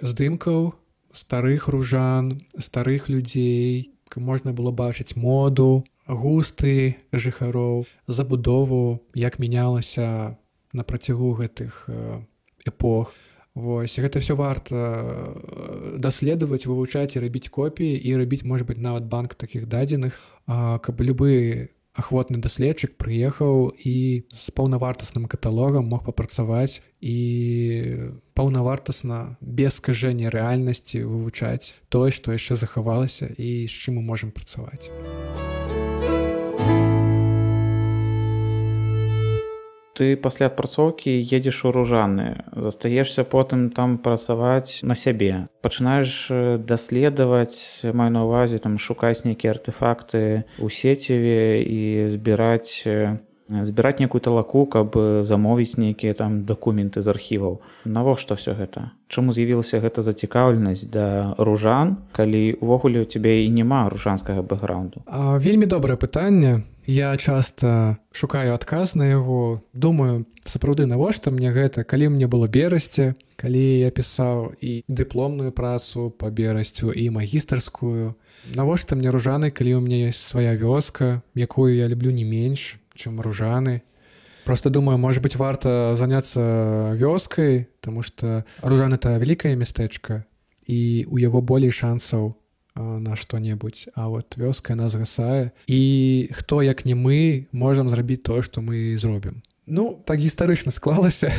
здымкаў старых ружан, старых людзей. Можна было бачыць моду, густы жыхароў, забудову, як мянялася на працягу гэтых эпох. Гэта ўсё варта даследаваць, вывучаць і рабіць копіі, і рабіць, можа быць, нават банк такіх дадзеных, каб любы ахвотны даследчык прыехаў і з паўнавартасным каталогам мог папрацаваць і паўнавартасна, без скажэння рэальнасці вывучаць тое, што яшчэ захавалася і з чым мы можам працаваць. Ты пасля адпрацоўкі едзеш у Ружаны, застаешся потым там працаваць на сябе. Пачынаеш даследаваць, маю на ўвазе, шукаць нейкія артэфакты ў сеціве і збіраць нейкую талаку, каб замовіць нейкія там дакументы з архіваў. Навошта ўсё гэта? Чаму з'явілася гэта зацікаўленасць да ружан, калі ўвогуле ў цябе і няма ружанскага бэкграунду? Вельмі добрае пытанне. Я часта шукаю адказ на яго. Думаю, сапраўды, навошта мне гэта? Калі мне было берасце, калі я пісаў і дыпломную працу па берасцю, і магістарскую. Навошта мне ружаны, калі ў мяне ёсць свая вёска, якую я люблю не менш, чым ружаны. Просто думаю, может быть, варта заняцца вёскай, таму што Ружан — это вялікае мястэчка, і у яго болей шансаў на што-небудзь, а вот вёска яна згасае, і хто, як не мы, можам зрабіць тое, што мы зробім. Так гістарычна склалася,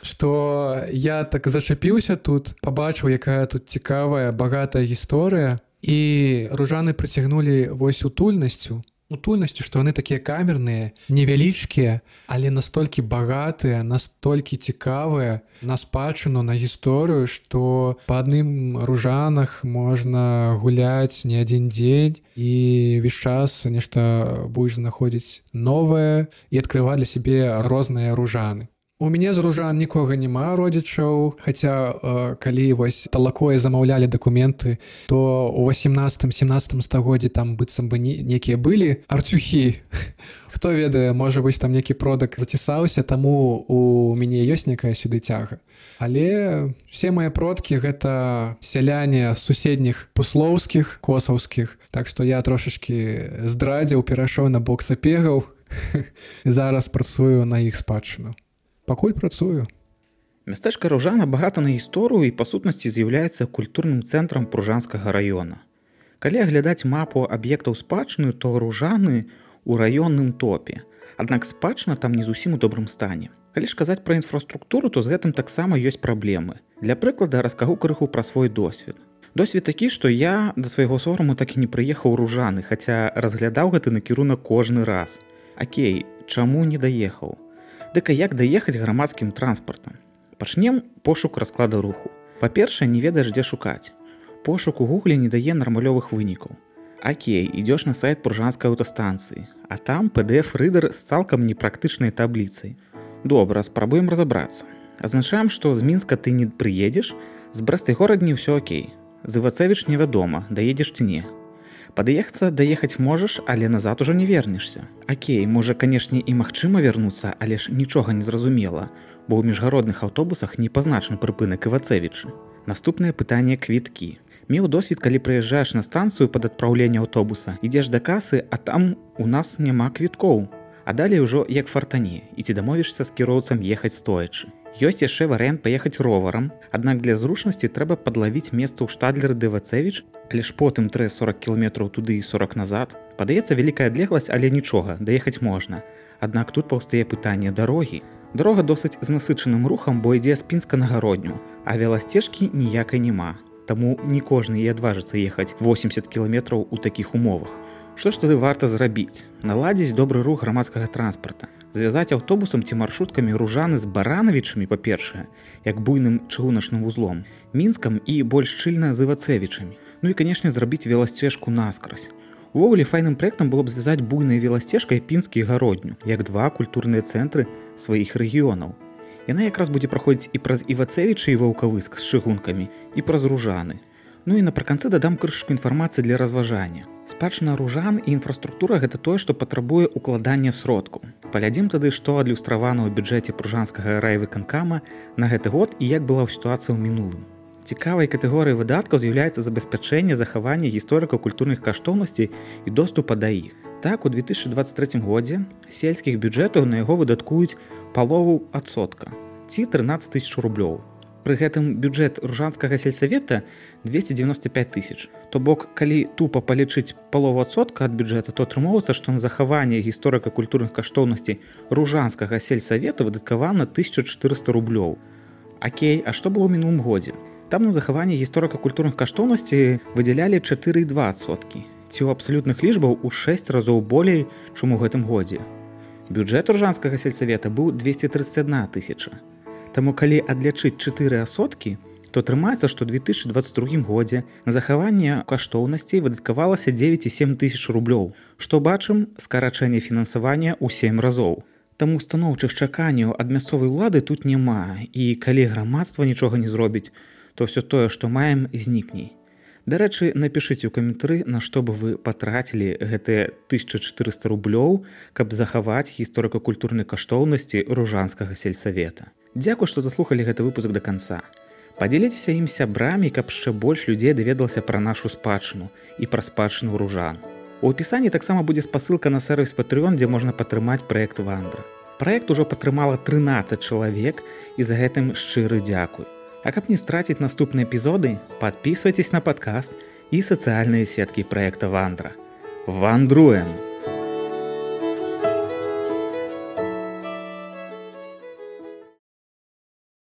што я так зачапіўся тут, пабачыў, якая тут цікавая, багатая гісторыя, і ружаны прыцягнулі вось утульнасцю, што яны такія камерныя, невялічкія, але настолькі багатыя, настолькі цікавыя на спадчыну, на гісторыю, што па адным ружанах можна гуляць не адзін дзень і ўвесь час нешта будзеш знаходзіць новае і адкрываць для сябе розныя ружаны. У мяне з ружан нікога няма родзічаў, хаця калі вось талакое замаўлялі дакументы, то ў 18-17 стагоддзі там быццам бы некія былі арцюхі. Хто ведае, можа быць, там некі продак зацісаўся, таму у мяне ёсць некая сюды цяга. Але все мае продкі гэта сяляне суседніх пуслоўскіх, косаўскіх, так што я трошачкі здрадзіў, перайшоў на бок сапегаў і зараз працую на іх спадчыну. Пакуль працую. Мястэчка Ружана багата на гісторыю і па сутнасці з'яўляецца культурным цэнтрам Пружанскага раёна. Калі аглядаць мапу аб'ектаў спадчыны, то Ружаны у раённым топе. Аднак спадчына там не зусім у добрым стане. Калі ж казаць пра інфраструктуру, то з гэтым таксама ёсць праблемы. Для прыклада раскажу крыху пра свой досвед. Досвед такі, што я да свайго сораму так і не прыехаў у Ружаны, хаця разглядаў гэты накірунак кожны раз. Акей, чаму не даехаў? Дык а як даехаць грамадскім транспартам? Пачнем пошук расклада руху. Па-першае, не ведаеш, дзе шукаць. Пошук у Гугле не дае нармалёвых вынікаў. Акей, ідёш на сайт Пружанскай аўтастанцыі, а там PDF-рыдер з цалкам непрактычнай табліцай. Добра, спрабуем разабрацца. Азначаем, што з Мінска ты не прыедзеш, з Брэстай горадні ўсё окей. З Івацэвіч невядома, даедзеш ці не. Даехаць можаш, але назад ужо не вернешся. Акей, можа, канешне, і магчыма вярнуцца, але ж нічога не зразумела, бо ў міжгародных аўтобусах не пазначаны прыпынак Івацэвічы. Наступнае пытанне квіткі. Меў досвед, калі прыязджаеш на станцыю пад адпраўленне аўтобуса, ідзеш да касы, а там у нас няма квіткоў. А далей ужо як фартане, і ці дамовішся з кіроўцам ехаць стоячы. Ёсць яшчэ варыянт паехаць роварам, аднак для зручнасці трэба падлавіць месца ў штадлеры Івацэвіч, але ж потым трэ 40 кіламетраў туды і 40 назад. Падаецца вялікая адлегласць, але нічога, даехаць можна. Аднак тут паўстае пытанне дарогі. Дарога досыць з насычаным рухам, бо ідзе з Пінска на Гародню, а веласцежкі ніякай няма. Таму не кожны і адважыцца ехаць 80 кіламетраў у такіх умовах. Што ж тады варта зрабіць? Наладзіць добры рух грамадскага транспарта. Звязаць аўтобусам ці маршруткамі Ружаны з Баранавічамі, па-першае, як буйным чыгуначным вузлом, Мінскам і больш шчыльна з Івацэвічамі. Ну і, канешне, зрабіць веласцежку наскразь. Увогуле, файным праектам было б звязаць буйнай веласцежкай Пінскі і Гародню, як два культурныя цэнтры сваіх рэгіёнаў. Яна якраз будзе праходзіць і праз Івацэвічы і Ваўкавыск з чыгункамі, і праз Ружаны. Ну і напрыканцы дадам крышку інфармацыі для разважання. Спадчына Ружан і інфраструктура гэта тое, што патрабуе укладання сродкаў. Паглядзім тады, што адлюстравана ў бюджэце Пружанскага райвыканкама на гэты год і як была сітуацыя ў мінулым. Цікавай катэгорыяй выдаткаў з'яўляецца забеспячэнне захавання гісторыка-культурных каштоўнасцей і доступа да іх. Так, у 2023 годзе сельскіх бюджэтаў на яго выдаткуюць палову адсотка, ці 13 000 рублёў. Пры гэтым бюджэт Ружанскага сельсавета 295 000. То бок, калі тупа палічыць палову адсотка ад бюджэта, то атрымоўваецца, што на захаванне гісторыка-культурных каштоўнасцей Ружанскага сельсавета выдаткавана 1400 рублёў. Акей, а што было ў мінулым годзе? Там на захаванне гісторыка-культурных каштоўнасцей выдзялялі 4,2%, ці ў абсалютных лічбаў у 6 разоў болей, чым у гэтым годзе. Бюджэт Ружанскага сельсавета быў 231 000. Таму калі адлічыць 4%, то атрымаецца, што ў 2022 годзе на захаванне каштоўнасцей выдаткавалася 9,7 000 рублёў, што бачым скарачэнне фінансавання ў 7 разоў. Таму станоўчых чаканняў ад мясцовай улады тут няма, і калі грамадства нічога не зробіць, то ўсё тое, што маем, знікне. Дарэчы, напішыце ў каментары, на што бы вы патрацілі гэтыя 1400 рублёў, каб захаваць гісторыка-культурнай каштоўнасці Ружанскага сельсавета. Дзякуй, што даслухалі гэты выпуск да канца. Падзяліцеся ім сябрамі, каб яшчэ больш людзей даведалася пра нашу спадчыну і пра спадчыну Ружан. У апісанні таксама будзе спасылка на сервіс Patreon, дзе можна падтрымаць праект Вандра. Праект ужо падтрымала 13 чалавек, і за гэтым шчыры дзякуй. А каб не страціць наступныя эпізоды, падпісвайцеся на падкаст і сацыяльныя сеткі праекта Вандра. Вандруем!